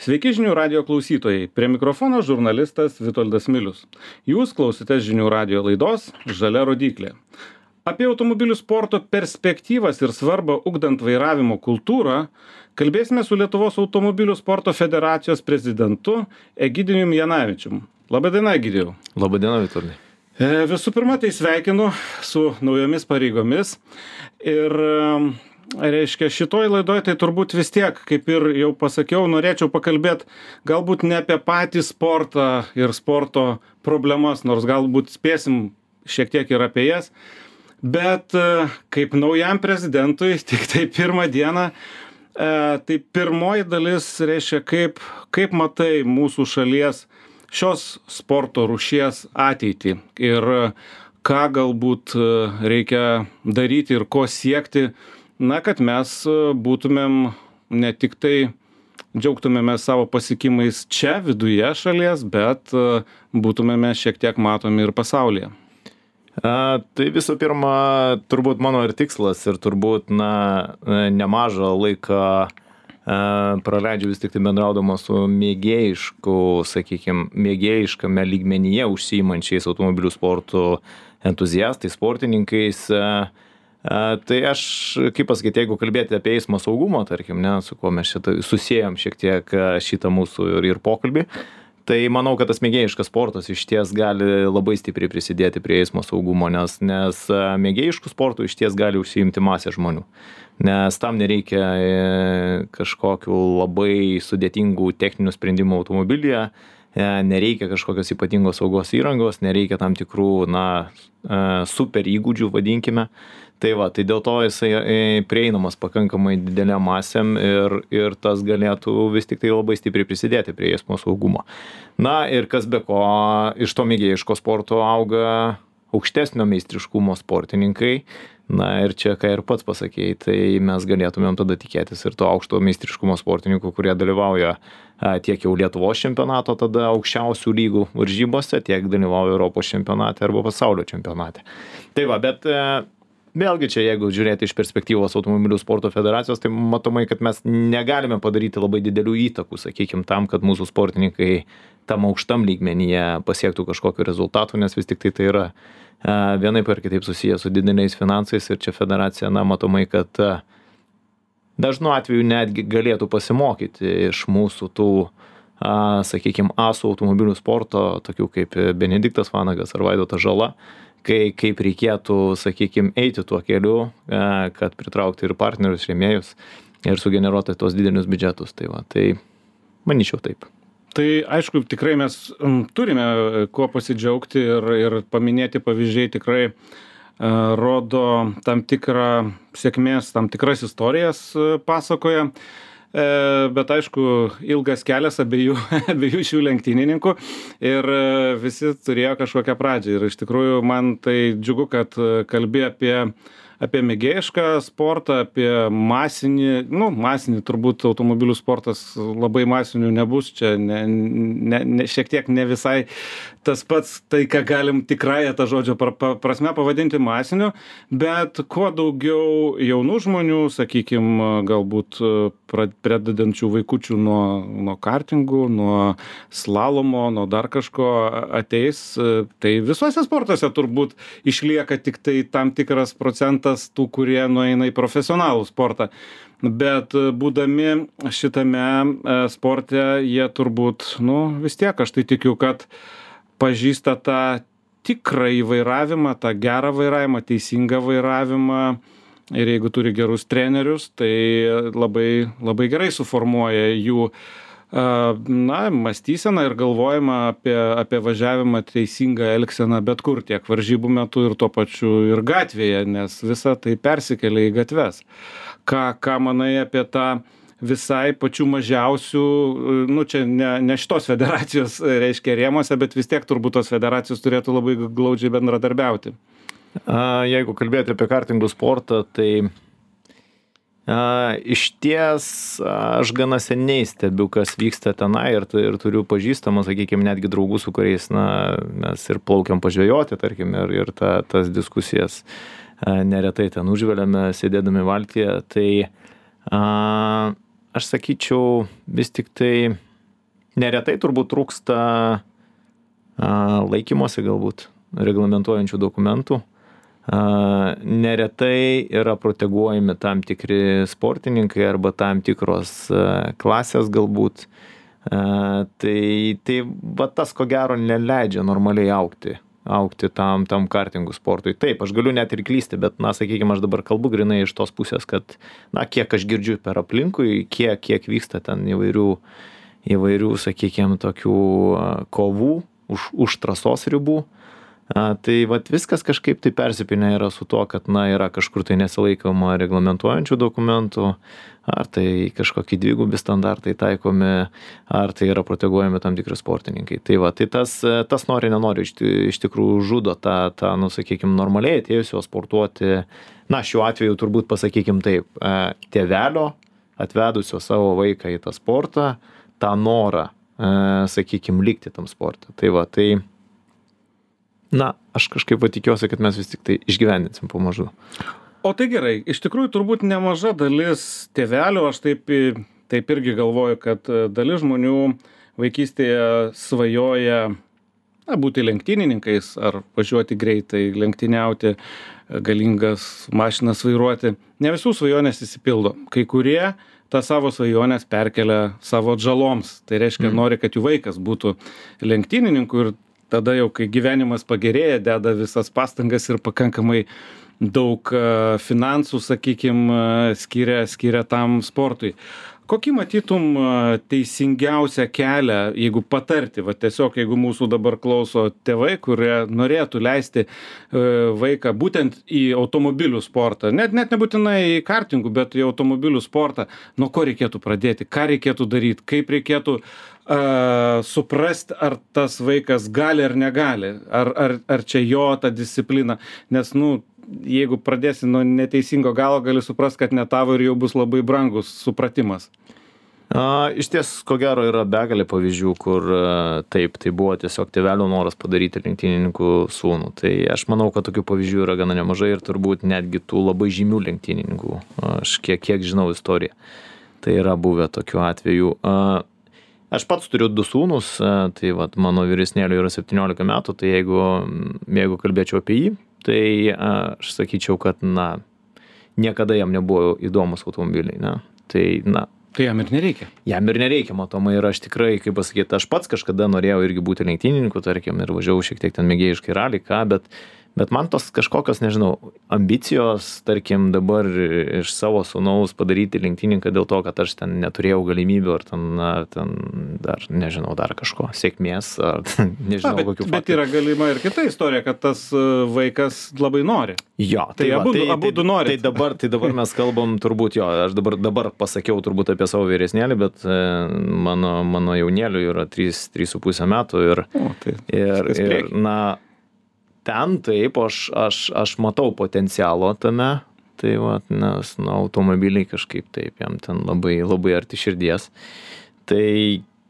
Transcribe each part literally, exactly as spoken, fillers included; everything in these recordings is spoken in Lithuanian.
Sveiki žinių radio klausytojai. Prie mikrofono žurnalistas Vitoldas Milius. Jūs klausotės žinių radio laidos Žalia rodyklė. Apie automobilių sporto perspektyvas ir svarbą ugdant vairavimo kultūrą kalbėsime su Lietuvos automobilių sporto federacijos prezidentu Egidijumi Janavičiumi. Labadiena, Egidijau. Labadiena, Vitoldai. E, visų pirma, tai sveikinu su naujomis pareigomis ir reiškia, šitoj laidoj tai turbūt vis tiek, kaip ir jau pasakiau, norėčiau pakalbėti galbūt ne apie patį sportą ir sporto problemas, nors galbūt spėsim šiek tiek ir apie jas, bet kaip naujam prezidentui, tik tai pirmą dieną, tai pirmoji dalis reiškia, kaip, kaip matai mūsų šalies šios sporto rūšies ateitį ir ką galbūt reikia daryti ir ko siekti, na, kad mes būtumėm ne tik tai džiaugtumėme savo pasiekimais čia viduje šalies, bet būtumėme šiek tiek matomi ir pasaulyje. A, tai visų pirma, turbūt mano ir tikslas ir turbūt na, nemažą laiką a, praleidžiu vis tik tai bendraudama su mėgėjišku, sakykime, mėgėjiškame lygmenyje užsiimančiais automobilių sportų entuziastais, sportininkais. A, a, tai aš, kaip pasakyti, jeigu kalbėti apie eismo saugumą, tarkim, ne, su kuo mes šitą susijęm šiek tiek šitą mūsų ir, ir pokalbį, tai manau, kad tas mėgėjiškas sportas iš ties gali labai stipriai prisidėti prie eismo saugumo, nes, nes mėgėjiškų sportų iš ties gali užsiimti masė žmonių. Nes tam nereikia kažkokių labai sudėtingų techninių sprendimų automobilyje, nereikia kažkokios ypatingos saugos įrangos, nereikia tam tikrų, na, super įgūdžių, vadinkime. Tai va, tai dėl to jisai prieinamas pakankamai didelėm masėm ir, ir tas galėtų vis tik tai labai stipriai prisidėti prie eismo saugumo. Na ir kas be ko, iš to mėgėjiško sporto auga aukštesnio meistriškumo sportininkai. Na ir čia, ką ir pats pasakėjai, tai mes galėtumėm tada tikėtis ir to aukšto meistriškumo sportininkų, kurie dalyvauja tiek jau Lietuvos čempionato tada aukščiausių lygų varžybose, tiek dalyvauja Europos čempionate arba pasaulio čempionate. Tai va, bet vėlgi čia, jeigu žiūrėti iš perspektyvos automobilių sporto federacijos, tai matomai, kad mes negalime padaryti labai didelių įtakų, sakykime, tam, kad mūsų sportininkai tam aukštam lygmenyje pasiektų kažkokiu rezultatu, nes vis tik tai tai yra vienaip ar kitaip susiję su dideliais finansais ir čia federacija, na, matomai, kad dažnu atveju netgi galėtų pasimokyti iš mūsų tų, sakykime, asų automobilių sporto, tokių kaip Benediktas Vanagas ar Vaidotas Žala, kai, kaip reikėtų, sakykime, eiti tuo keliu, kad pritraukti ir partnerius, rėmėjus ir sugeneruoti tos didelius biudžetus. Tai va, tai manyčiau taip. Tai aišku, tikrai mes turime kuo pasidžiaugti ir, ir paminėti pavyzdžiai tikrai uh, rodo tam tikrą sėkmės, tam tikras istorijas uh, pasakoja. Uh, bet aišku, ilgas kelias abiejų, abiejų šių lenktynininkų ir uh, visi turėjo kažkokią pradžią. Ir iš tikrųjų man tai džiugu, kad uh, kalbė apie apie mėgėjišką sportą, apie masinį, nu, masinį turbūt automobilių sportas labai masinių nebus, čia ne, ne, ne, šiek tiek ne visai tas pats, tai ką galim tikrąją tą žodžio pra, pra, prasme pavadinti masiniu, bet kuo daugiau jaunų žmonių, sakykime, galbūt pradedančių vaikučių nuo, nuo kartingų, nuo slalomo, nuo dar kažko ateis, tai visuose sportuose turbūt išlieka tik tai tam tikras procentas tų, kurie nueina į profesionalų sportą. Bet būdami šitame sporte, jie turbūt, nu, vis tiek, aš tai tikiu, kad pažįsta tą tikrą įvairavimą, tą gerą vairavimą, teisingą vairavimą. Ir jeigu turi gerus trenerius, tai labai, labai gerai suformuoja jų na, mąstyseną ir galvojimą apie, apie važiavimą teisingą elgseną bet kur, tiek varžybų metu ir tuo pačiu ir gatvėje, nes visa tai persikelia į gatves. Ką, ką manai apie tą visai pačių mažiausių, nu čia ne, ne šitos federacijos reiškia rėmose, bet vis tiek turbūt tos federacijos turėtų labai glaudžiai bendradarbiauti. Jeigu kalbėti apie kartingų sportą, tai A, iš ties aš gana seniai stebiu, kas vyksta tenai ir, ir turiu pažįstamą, sakykime, netgi draugų, su kuriais na, mes ir plaukiam pažvejoti, tarkim, ir, ir ta, tas diskusijas a, neretai ten užveliame, sėdėdami valtyje. Tai a, aš sakyčiau, vis tik tai neretai turbūt trūksta a, laikymosi galbūt reglamentuojančių dokumentų. A, neretai yra proteguojami tam tikri sportininkai arba tam tikros a, klasės galbūt. A, tai tai va tas ko gero neleidžia normaliai augti augti tam, tam kartingų sportui. Taip, aš galiu net ir klysti, bet, na, sakykime, aš dabar kalbu grinai iš tos pusės, kad, na, kiek aš girdžiu per aplinkui, kiek, kiek vyksta ten įvairių, įvairių, sakykime, tokių kovų už, už trasos ribų. A, tai vat viskas kažkaip tai persipinę yra su to, kad, na, yra kažkur tai nesilaikoma reglamentuojančių dokumentų, ar tai kažkokie dvigubi standartai taikomi, ar tai yra proteguojami tam tikri sportininkai. Tai va, tai tas, tas nori, nenori, iš, iš tikrųjų žudo tą, tą, nu, sakykime, normaliai atėjusio sportuoti, na, šiuo atveju turbūt pasakykime taip, tėvelio atvedusio savo vaiką į tą sportą, tą norą, sakykime, likti tam sportą. Tai va, tai na, aš kažkaip tikiuosi, kad mes vis tik tai išgyvendinsim pamažu. O tai gerai, iš tikrųjų turbūt nemaža dalis tėvelių, aš taip, taip irgi galvoju, kad dalis žmonių vaikystėje svajoja na, būti lenktynininkais ar važiuoti greitai, lenktyniauti, galingas mašinas vairuoti. Ne visų svajonės įsipildo. Kai kurie tą savo svajonės perkelia savo atžaloms. Tai reiškia, mm. nori, kad jų vaikas būtų lenktynininku ir tada jau, kai gyvenimas pagerėja, deda visas pastangas ir pakankamai daug finansų, sakykime, skiria, skiria tam sportui. Kokį matytum teisingiausią kelią, jeigu patarti, va tiesiog, jeigu mūsų dabar klauso tėvai, kurie norėtų leisti vaiką būtent į automobilių sportą, net, net nebūtinai į kartingų, bet į automobilių sportą, nuo ko reikėtų pradėti, ką reikėtų daryti, kaip reikėtų Uh, suprasti, ar tas vaikas gali ar negali, ar, ar, ar čia jo ta disciplina, nes, nu, jeigu pradėsi nuo neteisingo galo, gali suprasti, kad ne tavo ir jau bus labai brangus supratimas. A, iš ties, ko gero, yra begalė pavyzdžių, kur taip, tai buvo tiesiog tėvelio noras padaryti lenktynininkų sūnų. Tai aš manau, kad tokių pavyzdžių yra gana nemažai ir turbūt netgi tų labai žymių lenktynininkų. Aš kiek, kiek žinau istoriją. Tai yra buvę tokių atvejų. A, Aš pats turiu du sūnus, tai vat, mano vyresnėliui yra septyniolika metų, tai jeigu, jeigu kalbėčiau apie jį, tai aš sakyčiau, kad, na, niekada jam nebuvo įdomus automobiliai, ne? Tai, na. Tai jam ir nereikia. Jam ir nereikia, matomai, ir aš tikrai, kaip pasakyti, aš pats kažkada norėjau irgi būti lenktynininku, tarkim, ir važiavau šiek tiek ten mėgėjiškai ralį, ką, bet, bet man tos kažkokios, nežinau, ambicijos, tarkim, dabar iš savo sūnaus padaryti lenktyninką dėl to, kad aš ten neturėjau galimybių, ar ten, ar ten dar, nežinau, dar kažko, sėkmės, ar nežinau, Na, bet, kokių faktų. Bet yra galima ir kita istorija, kad tas vaikas labai nori. Jo, tai, tai va, abu, tai, abu tai, nori. Tai dabar, tai dabar mes kalbam turbūt, jo, aš dabar, dabar pasakiau turbūt apie savo vyresnėlį, bet e, mano, mano jaunėliui yra trys su puse metų ir, o, tai, ir, ir na, ten taip, aš, aš, aš matau potencialo tame, tai va, nes nu, automobiliai kažkaip taip, jam ten labai, labai arti širdies. Tai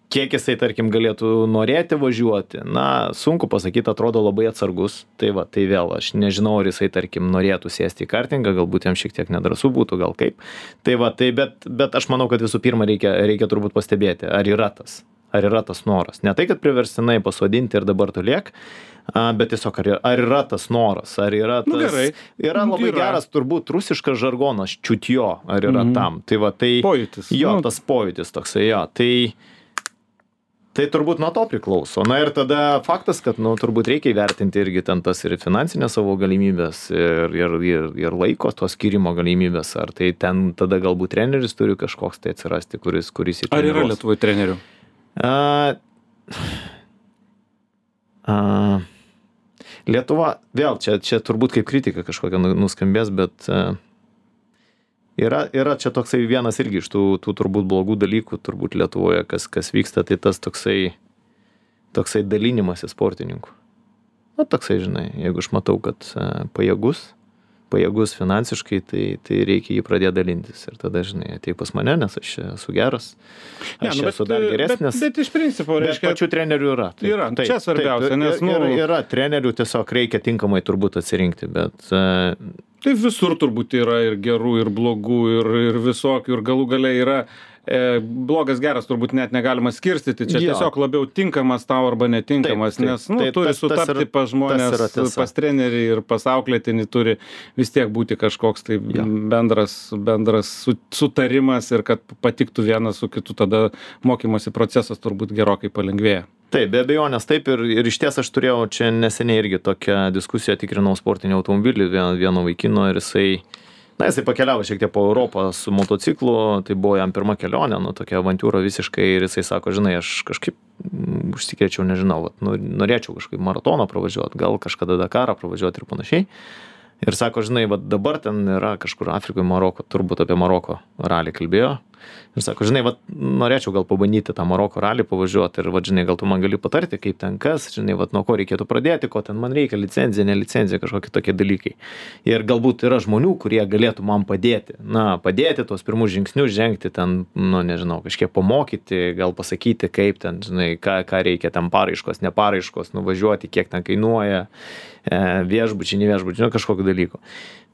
kiek jisai, tarkim, galėtų norėti važiuoti, na, sunku pasakyti, atrodo labai atsargus. Tai va, tai vėl, aš nežinau, ar jisai, tarkim, norėtų sėsti į kartingą, galbūt jam šiek tiek nedrąsu būtų, gal kaip. Tai va, tai bet, bet aš manau, kad visų pirma reikia, reikia turbūt pastebėti, ar yra tas, ar yra tas noras. Ne tai, kad priverstinai pasodinti ir dabar tu liek, bet tiesiog ar, ar yra tas noras, ar yra tas, nu, gerai. Yra labai yra. Geras turbūt rusiškas žargonas, čiutjo, ar yra mm. tam. Tai va, tai, pojūtis. Jo, nu. tas pojūtis toksai, jo, tai, tai turbūt nuo to priklauso. Na ir tada faktas, kad, nu, turbūt reikia įvertinti irgi ten tas ir finansinės savo galimybės ir, ir, ir, ir laiko to skirimo galimybės, ar tai ten tada galbūt treneris turi kažkoks tai atsirasti, kuris, kuris į Ar yra Lietuvoje trenerių? A, a, Lietuva, vėl, čia, čia turbūt kaip kritika kažkokia nuskambės, bet uh, yra, yra čia toksai vienas irgi iš tų, tų turbūt blogų dalykų, turbūt Lietuvoje, kas, kas vyksta, tai tas toksai, toksai dalinimasis sportininkų. Na, toksai, žinai, jeigu aš matau, kad uh, pajėgus, pajėgus finansiškai, tai, tai reikia jį pradėti dalintis. Ir tada, žinai, ateik pas mane, nes aš esu geras, aš ja, nu, esu dar geresnis. Bet, bet iš principo, reiškia... Bet pačių trenerių yra. Taip, yra, taip, čia svarbiausia, taip, nes... Nu, yra, yra trenerių, tiesiog reikia tinkamai turbūt atsirinkti, bet... Tai visur turbūt yra ir gerų, ir blogų, ir, ir visokių, ir galų gale yra e, blogas geras turbūt net negalima skirstyti, čia Jo. tiesiog labiau tinkamas tau arba netinkamas, Taip, taip. nes, nu, Tai turi tas- tas sutapti yra- pas tas yra žmonės, tiesa. pas trenerį ir pas auklėtinį turi vis tiek būti kažkoks tai Jo. bendras, bendras su- sutarimas ir kad patiktų vienas su kitu, tada mokymosi procesas turbūt gerokai palengvėja. Taip, be abejonės taip ir, ir iš ties aš turėjau čia neseniai irgi tokią diskusiją, tikrinau sportinį automobilį vieno, vieno vaikino ir jisai, na, jisai pakeliavo šiek tiek po Europą su motociklu, tai buvo jam pirma kelionė, nu, tokia avantūra visiškai ir jisai sako, žinai, aš kažkaip mm, užsikrėčiau, nežinau, vat, nu, norėčiau kažkaip maratoną pravažiuoti, gal kažkada Dakarą pravažiuoti ir panašiai. Ir sako, žinai, vat dabar ten yra kažkur Afrikoje, Maroko, turbūt apie Maroko ralį kalbėjo. Ir sako, žinai, vat norėčiau gal pabandyti tą Maroko ralį pavažiuoti ir, vat, žinai, gal tu man gali patarti, kaip ten kas, žinai, vat nuo ko reikėtų pradėti, ko ten man reikia, licenzija, ne licenzija, kažkokie tokie dalykai. Ir galbūt yra žmonių, kurie galėtų man padėti, na, padėti tuos pirmus žingsnius žengti ten, nu, nežinau, kažkiek pamokyti, gal pasakyti, kaip ten, žinai, ką, ką reikia ten paraiškos, ne paraiškos, nuvažiuoti, kiek ten kainuoja, e, viešbučiai, ne viešbučiai, nu, kažkokiu dalyku.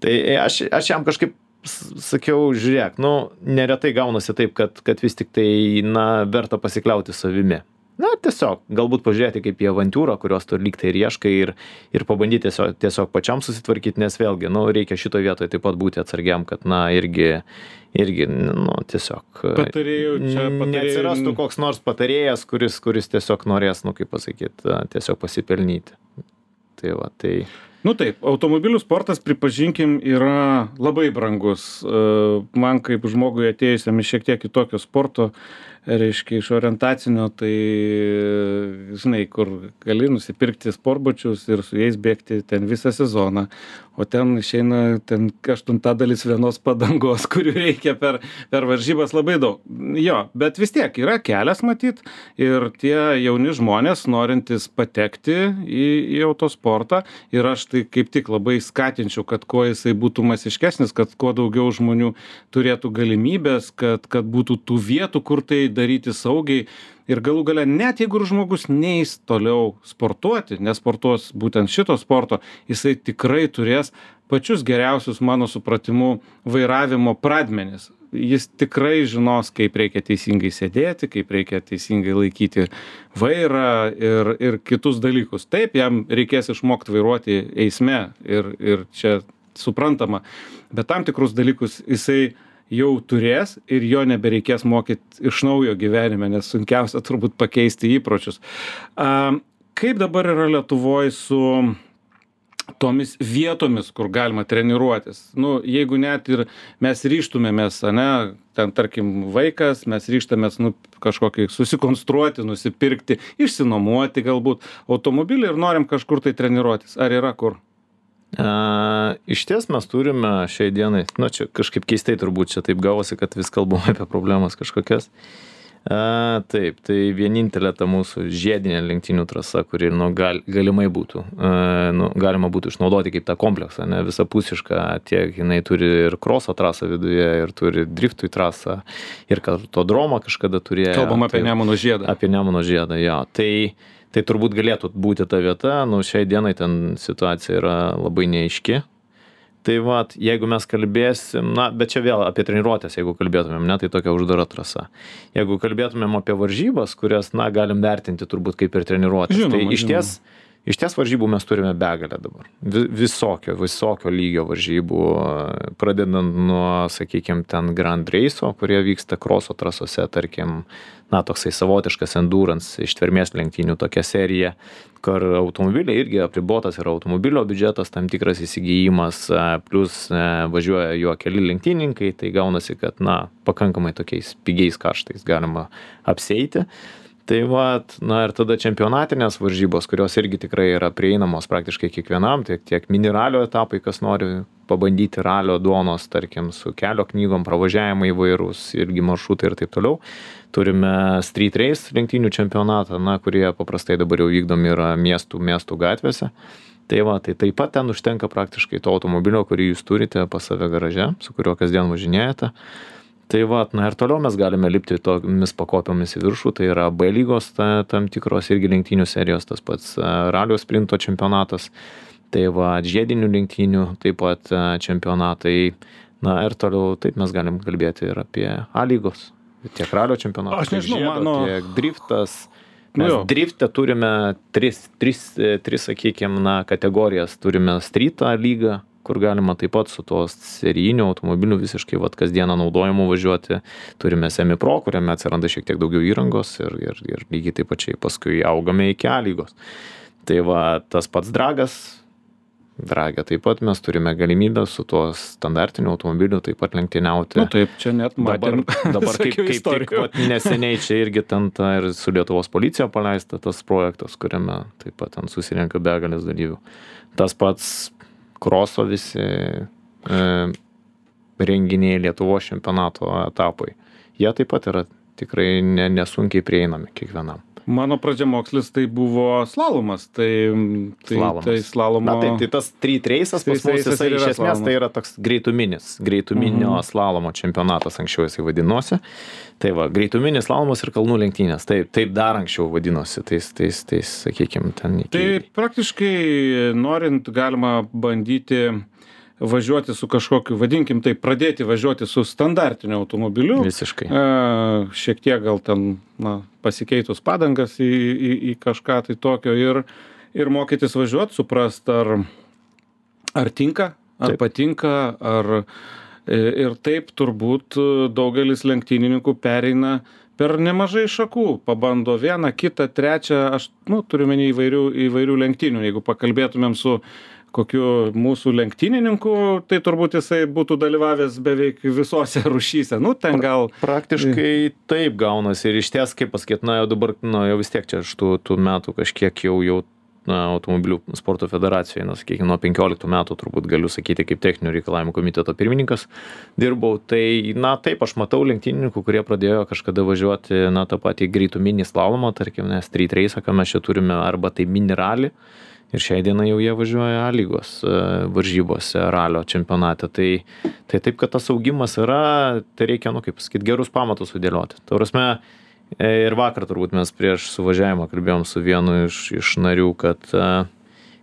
Tai aš, aš jam kažkaip sakiau, žiūrėk, nu, neretai gaunasi taip, kad, kad vis tik tai, na, verta pasikliauti savimi. Na, tiesiog, galbūt pažiūrėti kaip į avantūrą, kurios tu lyg tai ir ieškai ir, ir pabandyti tiesiog, tiesiog pačiam susitvarkyti, nes vėlgi, nu, reikia šito vietoje taip pat būti atsargiam, kad, na, irgi, irgi, nu, tiesiog Patarėjų, čia patarėjų. neatsirastų koks nors patarėjas, kuris, kuris tiesiog norės, nu, kaip pasakyti, tiesiog pasipelnyti. Tai va, tai... Nu taip, automobilių sportas, pripažinkim, yra labai brangus. E, Man kaip žmogui atėjusiam iš šiek tiek kitokio sporto, reiškia iš orientacinio, tai, žinai, kur gali nusipirkti sportbačius ir su jais bėgti ten visą sezoną, o ten išeina ten aštuntadalis vienos padangos, kurių reikia per, per varžybas labai daug. Jo, bet vis tiek yra kelias matyt ir tie jauni žmonės, norintys patekti į, į autosportą, ir aš tai kaip tik labai skatinčiau, kad kuo jisai būtų masiškesnis, kad kuo daugiau žmonių turėtų galimybės, kad, kad būtų tų vietų, kur tai daryti saugiai. Ir galų gale, net jeigu žmogus neis toliau sportuoti, nesportuos būtent šito sporto, jisai tikrai turės pačius geriausius, mano supratimu, vairavimo pradmenis. Jis tikrai žinos, kaip reikia teisingai sėdėti, kaip reikia teisingai laikyti vairą ir, ir kitus dalykus. Taip, jam reikės išmokti vairuoti eisme ir, ir čia suprantama, bet tam tikrus dalykus jisai jau turės ir jo nebereikės mokyti iš naujo gyvenime, nes sunkiausia turbūt pakeisti įpročius. A, kaip dabar yra Lietuvoje su tomis vietomis, kur galima treniruotis? Nu, jeigu net ir mes ryštumėmės, ane, ten tarkim vaikas, mes ryštamės nu, kažkokį susikonstruoti, nusipirkti, išsinuomoti galbūt automobilį ir norim kažkur tai treniruotis. Ar yra kur? A, iš ties mes turime šiai dienai, nu čia kažkaip keistai turbūt čia taip gavosi, kad vis kalbame apie problemas kažkokias. A, taip, tai vienintelė ta mūsų žiedinė lenktynių trasa, kuri nu, gal, galimai būtų, a, nu, galima būtų išnaudoti kaip tą kompleksą, ne, visapusišką, tiek jinai turi ir kroso trasą viduje, ir turi driftui trasą, ir kartodromą kažkada turėjo. Kalbam apie tai, Nemuno žiedą. Apie Nemuno žiedą, jo. Tai Tai turbūt galėtų būti ta vieta, nu šiai dienai ten situacija yra labai neaiški. Tai va, jeigu mes kalbėsim, na, bet čia vėl apie treniruotės, jeigu kalbėtumėm, ne, tai tokia uždara trasa. Jeigu kalbėtumėm apie varžybas, kurias, na, galim vertinti turbūt kaip ir treniruotės, Žinoma, tai iš ties, iš ties varžybų mes turime begalę dabar. Visokio, visokio lygio varžybų, pradedant nuo, sakykime, ten Grand Race'o, kurie vyksta kroso trasose, tarkim, na, toksai savotiškas endurance, ištvermės lenktynių tokia serija, kur automobiliai irgi apribotas yra automobilio biudžetas, tam tikras įsigijimas, plus važiuoja juo keli lenktynininkai, tai gaunasi, kad, na, pakankamai tokiais pigiais kaštais galima apsieiti. Tai vat, na ir tada čempionatinės varžybos, kurios irgi tikrai yra prieinamos praktiškai kiekvienam, tiek, tiek mini ralio etapai, kas nori pabandyti ralio duonos, tarkim, su kelio knygom, pravažiavimai įvairūs, irgi maršrutai ir taip toliau. Turime street race lenktynių čempionatą, na, kurie paprastai dabar jau vykdomi yra miestų, miestų gatvėse. Tai va, tai taip pat ten užtenka praktiškai to automobilio, kurį jūs turite pas save garaže, su kuriuo kasdien važinėjate. Tai va, na ir toliau mes galime lipti tomis pakopiomis į viršų, tai yra B lygos ta, tam tikros irgi lenktynių serijos, tas pats ralio sprinto čempionatas, tai va, žiedinių lenktynių taip pat čempionatai, na ir toliau taip mes galim kalbėti ir apie A lygos tiek ralio čempionatas, Aš nežinau, tiek, žiedo, mano... tiek driftas. Mes Nu, drifte turime tris, tris, tris sakykime, na, kategorijas. Turime streetą lygą, kur galima taip pat su tos serijinių automobilių visiškai vat, kasdieną naudojimų važiuoti. Turime semi-pro, kuriame atsiranda šiek tiek daugiau įrangos ir, ir, ir lygiai taip pačiai paskui augame iki A lygos. Tai va, tas pats dragas, dragė taip pat mes turime galimybę su tuo standartiniu automobiliu taip pat lenktyniauti. Nu taip, čia net matėm. Dabar, dabar kaip, kaip tik vat, neseniai čia irgi ten ta ir su Lietuvos policija paleista tas projektas, kuriame taip pat ten susirenka begalės dalyvių. Tas pats kroso visi e, renginiai Lietuvos čempionato etapai. Jie taip pat yra tikrai ne, nesunkiai prieinami kiekvienam. Mano pradžiamokslis tai buvo slalomas, tai, tai, Slalomas. tai slalomo... Na taip, tai tas street race'as pas mus, Street race'as jisai ir iš yra esmės slalomas. tai yra toks greituminis, greituminio Mhm. slalomo čempionatas, anksčiau jisai vadinosi. Tai va, greituminis slalomas ir kalnų lenktynės, taip, taip dar anksčiau vadinosi, tais, tais, tais, sakykime, ten iki... Tai praktiškai norint galima bandyti važiuoti su kažkokiu, vadinkim tai, pradėti važiuoti su standartiniu automobiliu. Visiškai. E, šiek tiek gal ten, na, pasikeitus padangas į, į, į kažką tai tokio ir, ir mokytis važiuoti, suprast, ar, ar tinka, ar Taip. patinka, ar ir taip turbūt daugelis lenktynininkų pereina per nemažai šakų, pabando vieną, kitą, trečią, aš, nu, turiu menį įvairių, įvairių lenktynių, jeigu pakalbėtumėm su kokiu mūsų lenktynininku, tai turbūt jisai būtų dalyvavęs beveik visose rūšyse. Nu, ten gal... Praktiškai taip gaunasi ir iš ties, kaip pasakyt, na jau dabar, na jau vis tiek čia aš tų, tų metų kažkiek jau, jau na, automobilių sporto federacijoje, na, sakykime, nuo penkioliktų metų turbūt galiu sakyti, kaip techninių reikalavimų komiteto pirmininkas dirbau. Tai, na, taip, aš matau lenktynininkų, kurie pradėjo kažkada važiuoti, na, tą patį greituminį slalomą, tarkim, ne, street race'ą, ką mes čia turime, arba tai mini rally. Ir šiai dienai jau jie važiuoja A lygos varžybose, ralio čempionate. Tai, tai taip, kad tas augimas yra, tai reikia, nu, kaip pasakyti, gerus pamatus sudėlioti. Tai prasme, ir vakar turbūt mes prieš suvažiavimą kalbėjom su vienu iš, iš narių, kad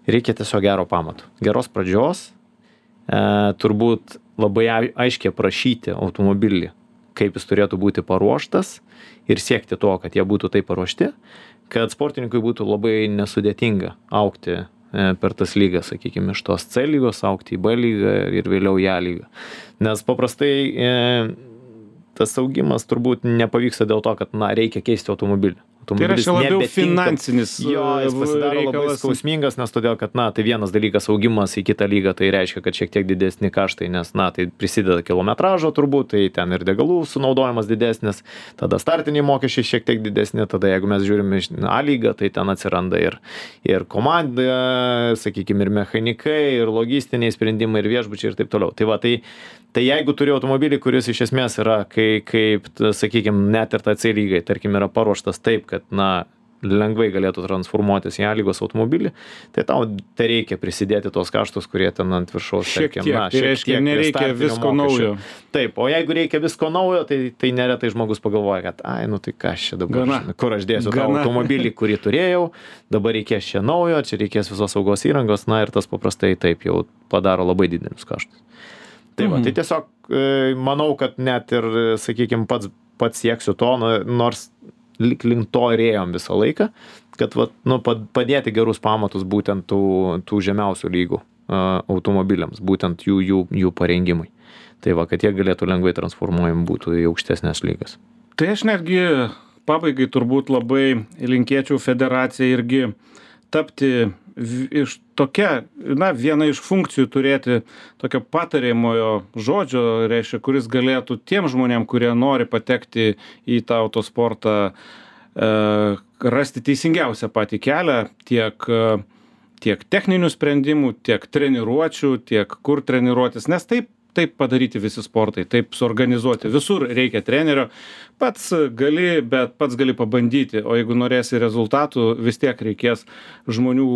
reikia tiesiog gero pamato. Geros pradžios, turbūt labai aiškiai aprašyti automobilį, kaip jis turėtų būti paruoštas ir siekti to, kad jie būtų taip paruošti, kad sportininkui būtų labai nesudėtinga augti per tas lygas, sakykime, iš tos C lygos, augti į B lygą ir vėliau į A lygą. Nes paprastai tas augimas turbūt nepavyksta dėl to, kad, na, reikia keisti automobilį. Tai yra čia labiau finansinis jo, jis pasidaro labai skausmingas, nes todėl, kad, na, tai vienas dalykas augimas į kitą lygą, tai reiškia, kad šiek tiek didesni kaštai, nes, na, tai prisideda kilometražo turbūt, tai ten ir degalų sunaudojimas didesnis, tada startiniai mokesčiai šiek tiek didesni, tada jeigu mes žiūrime iš A lygą, tai ten atsiranda ir, ir komanda, sakykime, ir mechanikai, ir logistiniai sprendimai, ir viešbučiai ir taip toliau. Tai va, tai, tai jeigu turi automobilį, kuris iš esmės yra, kai, kaip, sakykime, net ir ta C lygai, tarkim, yra paruoštas taip, kad, na, lengvai galėtų transformuotis į A lygos automobilį, tai tau tai reikia prisidėti tos kaštus, kurie ten ant viršaus. Šiek tarkim, tiek, na, tai reiškia, nereikia visko naujo. Taip, o jeigu reikia visko naujo, tai, tai neretai žmogus pagalvoja, kad, ai, nu tai ką aš čia dabar, Gana. kur aš dėsiu tą Gana. automobilį, kurį turėjau, dabar reikės čia naujo, čia reikės visos saugos įrangos, na ir tas paprastai taip jau padaro labai didelius kaštus. Tai va, Mhm. tai tiesiog e, manau, kad net ir, sakykime, pats, pats sieksiu to, nu, nors lik link to ir ėjom visą laiką, kad va, nu, padėti gerus pamatus būtent tų, tų žemiausių lygų uh, automobiliams, būtent jų, jų, jų parengimui. Tai va, kad jie galėtų lengvai transformuojami būtų į aukštesnės lygas. Tai aš netgi pabaigai turbūt labai linkėčiau federacijai irgi tapti iš tokia, na, viena iš funkcijų turėti tokio patariamojo žodžio, reiškia, kuris galėtų tiem žmonėm, kurie nori patekti į tą autosportą, e, rasti teisingiausią patį kelią, tiek, tiek techninių sprendimų, tiek treniruočių, tiek kur treniruotis, nes taip, taip padaryti visi sportai, taip suorganizuoti. Visur reikia trenerio, pats gali, bet pats gali pabandyti, o jeigu norėsi rezultatų, vis tiek reikės žmonių,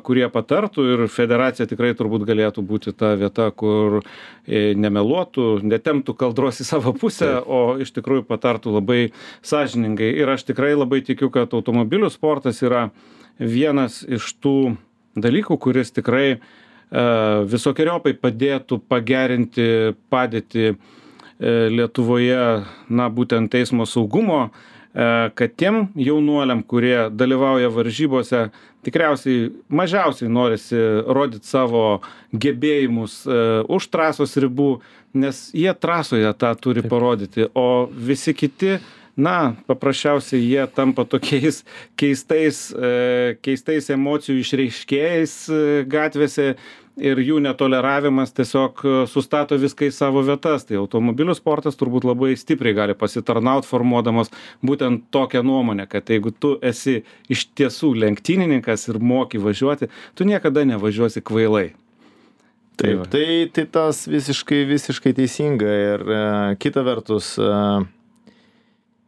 kurie patartų ir federacija tikrai turbūt galėtų būti ta vieta, kur nemeluotų, netemptų kaldros į savo pusę, o iš tikrųjų patartų labai sąžiningai. Ir aš tikrai labai tikiu, kad automobilių sportas yra vienas iš tų dalykų, kuris tikrai visokiojopai padėtų pagerinti padėtį Lietuvoje, na, būtent eismo saugumo, kad tiem jaunuoliam, kurie dalyvauja varžybose, tikriausiai mažiausiai norisi rodyti savo gebėjimus už trasos ribų, nes jie trasoje tą turi parodyti, o visi kiti, na, paprasčiausiai jie tampa tokiais keistais, keistais emocijų išreiškėjais gatvėse ir jų netoleravimas tiesiog sustato viską į savo vietas. Tai automobilių sportas turbūt labai stipriai gali pasitarnauti, formuodamas būtent tokią nuomonę, kad jeigu tu esi iš tiesų lenktynininkas ir moki važiuoti, tu niekada nevažiuosi kvailai. Taip, tai, tai tas visiškai, visiškai teisinga ir e, kita vertus, e,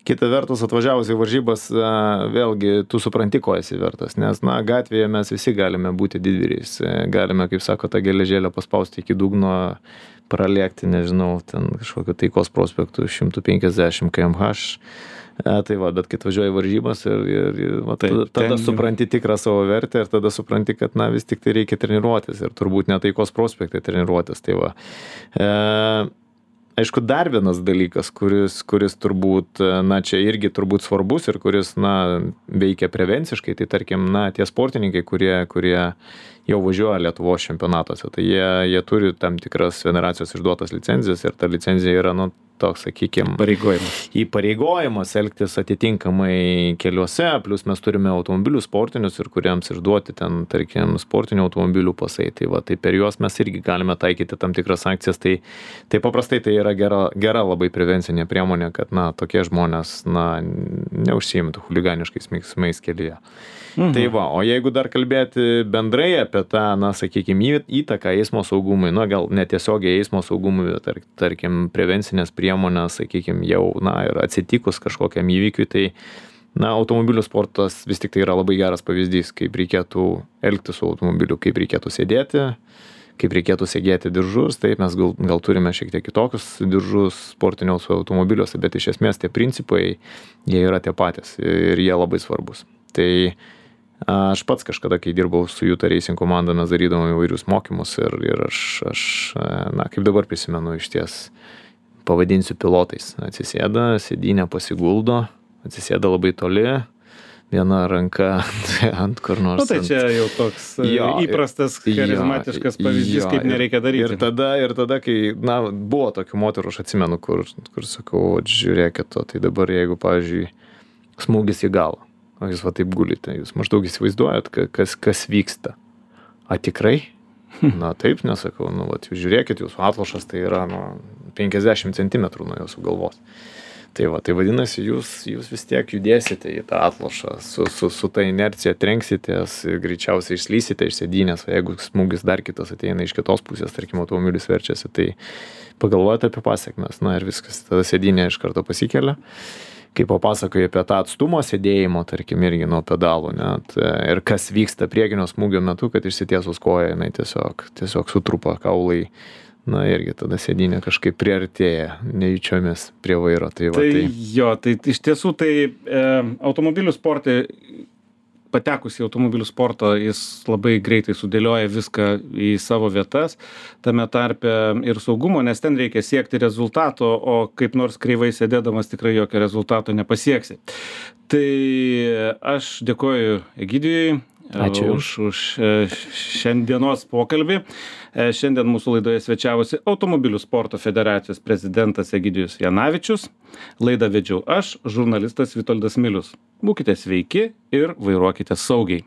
kita vertus atvažiavus į varžybas, e, vėlgi tu supranti, ko esi vertas, nes, na, gatvėje mes visi galime būti didvyriais, e, galime, kaip sako, tą geležėlę paspausti iki dugno, pralėkti, nežinau, ten kažkokio Taikos prospektų šimtas penkiasdešimt kilometrų per valandą. E, tai va, bet kai atvažiuoji varžybas ir, ir, ir va, Taip, tada, tada ten- supranti tikrą savo vertę ir tada supranti, kad, na, vis tik tai reikia treniruotis ir turbūt ne Taikos prospekte treniruotis. Tai va. E, aišku, dar vienas dalykas, kuris, kuris turbūt, na, čia irgi turbūt svarbus ir kuris, na, veikia prevenciškai, tai tarkim, na, tie sportininkai, kurie, kurie jau važiuoja Lietuvos čempionatuose, tai jie, jie turi tam tikras federacijos išduotas licenzijas ir ta licenzija yra, nu, toks, sakykime, Pareigojimas. įpareigojimas elgtis atitinkamai keliuose, plus mes turime automobilių sportinius ir kuriems išduoti ten, tarkim, sportinių automobilių pasai. Tai va, tai per juos mes irgi galime taikyti tam tikras sankcijas. Tai, tai paprastai tai yra gera, gera labai prevencinė priemonė, kad, na, tokie žmonės, na, neužsiimtų chuliganiškais veiksmais kelyje. Mhm. Tai va, o jeigu dar kalbėti bendrai apie tą, na, sakykime, įtaką eismo saugumui, na, gal netiesiogiai eismo saugumui, bet tar, tarkim, prevencinės priemonės, sakykime, jau, na, ir atsitikus kažkokiam įvykiui, tai, na, automobilių sportas vis tik tai yra labai geras pavyzdys, kaip reikėtų elgtis su automobiliu, kaip reikėtų sėdėti, kaip reikėtų segėti diržus. Taip, mes gal, gal turime šiek tiek kitokius diržus sportiniuose automobiliuose, bet iš esmės tie principai, jie yra tie patys ir jie labai svarbus. Tai aš pats kažkada, kai dirbau su Juta Racing komanda, mes darydavom įvairius mokymus ir, ir aš, aš, na, kaip dabar prisimenu, iš ties pavadinsiu pilotais. Atsisėda, sėdynę pasiguldo, atsisėda labai toli, viena ranka ant kur nors. Nu, tai čia jau toks Jo, įprastas, charizmatiškas pavyzdys, jo, kaip ir- nereikia daryti. Ir tada, ir tada, kai, na, buvo tokių moterų, aš atsimenu, kur, kur sakau, "Vat žiūrėkit to, tai dabar jeigu, pavyzdžiui, smūgis į galvą, o jūs va taip gulite, jūs maždaug įsivaizduojat, ka- kas, kas vyksta. A tikrai? Na taip, nesakau, nu, vat, jūs žiūrėkit, jūsų atlošas tai yra, nu, penkiasdešimt centimetrų nuo jūsų galvos. Tai va, tai vadinasi, jūs, jūs vis tiek judėsite į tą atlošą, su, su, su ta inercija trenksitės, greičiausiai išslysite iš sėdynės, o jeigu smūgis dar kitas ateina iš kitos pusės, tarkim, automobilis verčiasi, tai pagalvojate apie pasiekmes, na ir viskas, tada sėdynė iš karto pasikelia. Kai papasakoji apie tą atstumą sėdėjimo, tarkim, irgi nuo pedalų, net, ir kas vyksta priekinio smūgio metu, kad išsitiesus koja, jinai tiesiog, tiesiog sutrupa kaulai. Na irgi tada sėdynė kažkaip priartėja nejučiomis prie vairo. Tai, va, Tai tai... jo, tai iš tiesų tai e, automobilių sportai, patekus į automobilių sportą, jis labai greitai sudėlioja viską į savo vietas, tame tarpe ir saugumo, nes ten reikia siekti rezultato, o kaip nors kreivai sėdėdamas tikrai jokio rezultato nepasieksi. Tai aš dėkoju Egidijui. Ačiū. Už, už e, šiandienos pokalbį. E, Šiandien mūsų laidoje svečiavosi Automobilių sporto federacijos prezidentas Egidijus Janavičius. Laidą vedžiau aš, žurnalistas Vitoldas Milius. Būkite sveiki ir vairuokite saugiai.